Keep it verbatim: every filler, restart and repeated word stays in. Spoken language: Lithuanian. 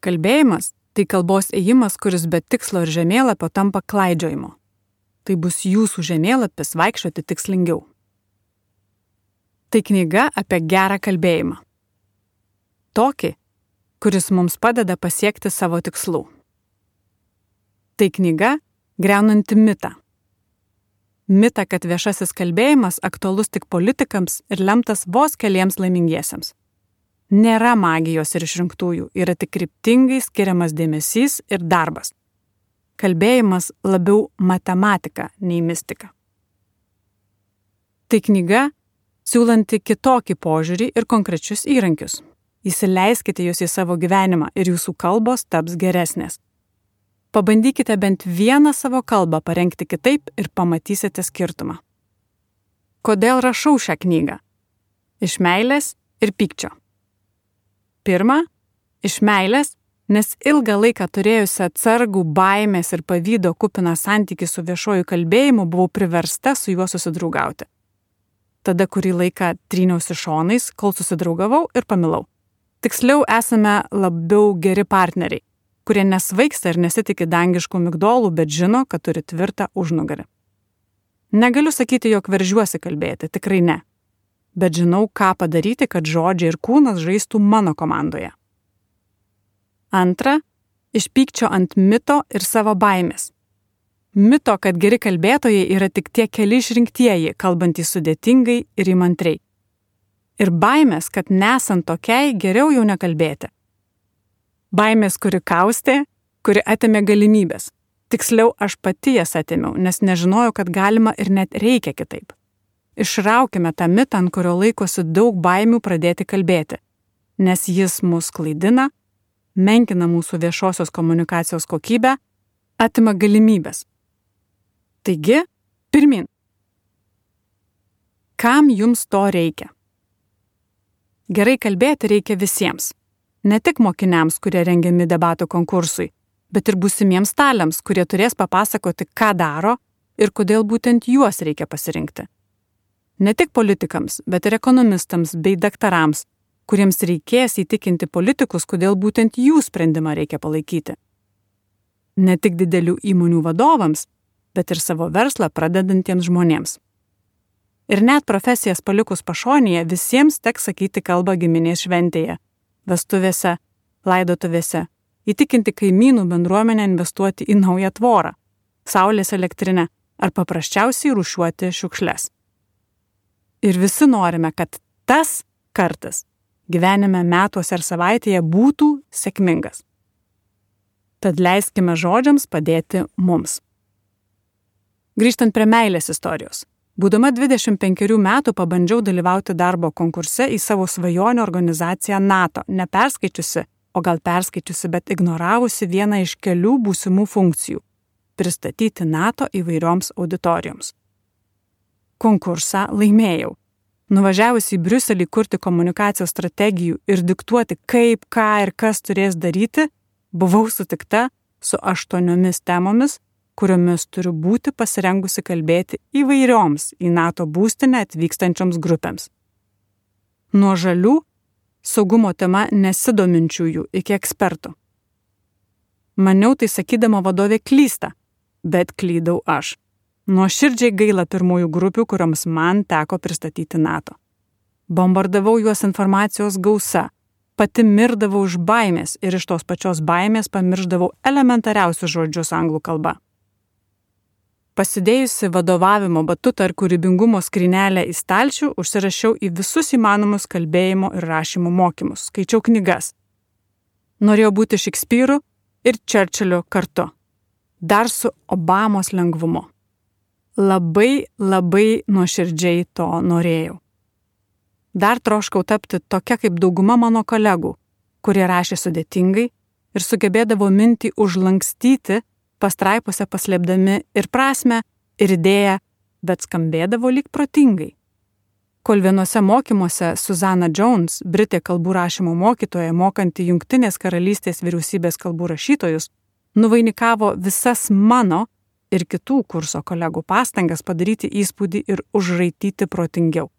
kalbėjimas – tai kalbos ėjimas, kuris be tikslo ir žemėlapio tampa klaidžiojimo. Tai bus jūsų žemėlapis vaikščioti tikslingiau. Tai knyga apie gerą kalbėjimą. Tokį, kuris mums padeda pasiekti savo tikslų. Tai knyga griaunanti mitą. Mitą, kad viešasis kalbėjimas aktualus tik politikams ir lemtas vos keliems laimingiesiems. Nėra magijos ir išrinktųjų, yra tik kryptingai skiriamas dėmesys ir darbas. Kalbėjimas labiau matematika nei mistika. Tai knyga, siūlanti kitokį požiūrį ir konkrečius įrankius. Įsileiskite jūs į savo gyvenimą ir jūsų kalbos taps geresnės. Pabandykite bent vieną savo kalbą parengti kitaip ir pamatysite skirtumą. Kodėl rašau šią knygą? Iš meilės ir pykčio. Pirma, iš meilės, nes ilgą laiką turėjusi atsargų, baimės ir pavydo kupiną santykį su viešuoju kalbėjimu, buvau priversta su juo susidraugauti. Tada kurį laiką tryniausi šonais, kol susidraugavau ir pamilau. Tiksliau, esame labiau geri partneriai, kurie nesvaigsta ir nesitikė dangiškų migdolų, bet žino, kad turi tvirtą užnugarį. Negaliu sakyti, jog veržiuosi kalbėti, tikrai ne. Bet žinau, ką padaryti, kad žodžiai ir kūnas žaistų mano komandoje. Antra, iš pykčio ant mito ir savo baimės. Mito, kad geri kalbėtojai yra tik tie keli išrinktieji, kalbantys sudėtingai ir įmantriai. Ir baimės, kad nesant tokiai, geriau jau nekalbėti. Baimės, kuri kaustė, kuri atėmė galimybės. Tiksliau, aš pati jas atėmiau, nes nežinojau, kad galima ir net reikia kitaip. Išraukime tą mitą, ant kurio laikosi daug baimių pradėti kalbėti, nes jis mus klaidina, menkina mūsų viešosios komunikacijos kokybę, atima galimybės. Taigi, pirmin. Kam jums to reikia? Gerai kalbėti reikia visiems. Ne tik mokiniams, kurie rengiami debatų konkursui, bet ir būsimiems taliams, kurie turės papasakoti, ką daro ir kodėl būtent juos reikia pasirinkti. Ne tik politikams, bet ir ekonomistams bei daktarams, kuriems reikės įtikinti politikus, kodėl būtent jų sprendimą reikia palaikyti. Ne tik didelių įmonių vadovams, bet ir savo verslą pradedantiems žmonėms. Ir net profesijas palikus pašonėje visiems teks sakyti kalbą giminės šventėje, vestuvėse, laidotuvėse, įtikinti kaimynų bendruomenę investuoti į naują tvorą, saulės elektrinę ar paprasčiausiai rūšiuoti šiukšles. Ir visi norime, kad tas kartas gyvenime, metuose ar savaitėje būtų sėkmingas. Tad leiskime žodžiams padėti mums. Grįžtant prie meilės istorijos. Būdama dvidešimt penkerių metų pabandžiau dalyvauti darbo konkurse į savo svajonių organizaciją NATO, neperskaičiusi, o gal perskaičiusi, bet ignoravusi vieną iš kelių būsimų funkcijų – pristatyti NATO įvairioms auditorijoms. Konkursą laimėjau. Nuvažiavusi į Briuselį kurti komunikacijos strategijų ir diktuoti, kaip, ką ir kas turės daryti, buvau sutikta su aštuoniomis temomis, kuriomis turiu būti pasirengusi kalbėti įvairioms į NATO būstinę atvykstančioms grupėms. Nuo žalių, saugumo tema nesidominčiųjų iki ekspertų. Maniau tai sakydama vadovė klysta, bet klydau aš. Nuoširdžiai gaila pirmųjų grupių, kurioms man teko pristatyti NATO. Bombardavau juos informacijos gausa, pati mirdavau iš baimės ir iš tos pačios baimės pamirždavau elementariausius žodžius anglų kalba. Pasidėjusi vadovavimo batutą ar kūrybingumo skrynelę į stalčių, užsirašiau į visus įmanomus kalbėjimo ir rašymo mokymus, skaičiau knygas. Norėjau būti Šekspyru ir Čerčiliu kartu, dar su Obamos lengvumu. Labai, labai nuoširdžiai to norėjau. Dar troškau tapti tokia kaip dauguma mano kolegų, kurie rašė sudėtingai ir sugebėdavo mintį užlankstyti, pastraipose paslėpdami ir prasmę, ir idėją, bet skambėdavo lyg protingai. Kol vienose mokymuose Susanna Jones, Britė kalbų rašymo mokytoja, mokanti Jungtinės karalystės vyriausybės kalbų rašytojus, nuvainikavo visas mano ir kitų kurso kolegų pastangas padaryti įspūdį ir užraityti protingiau.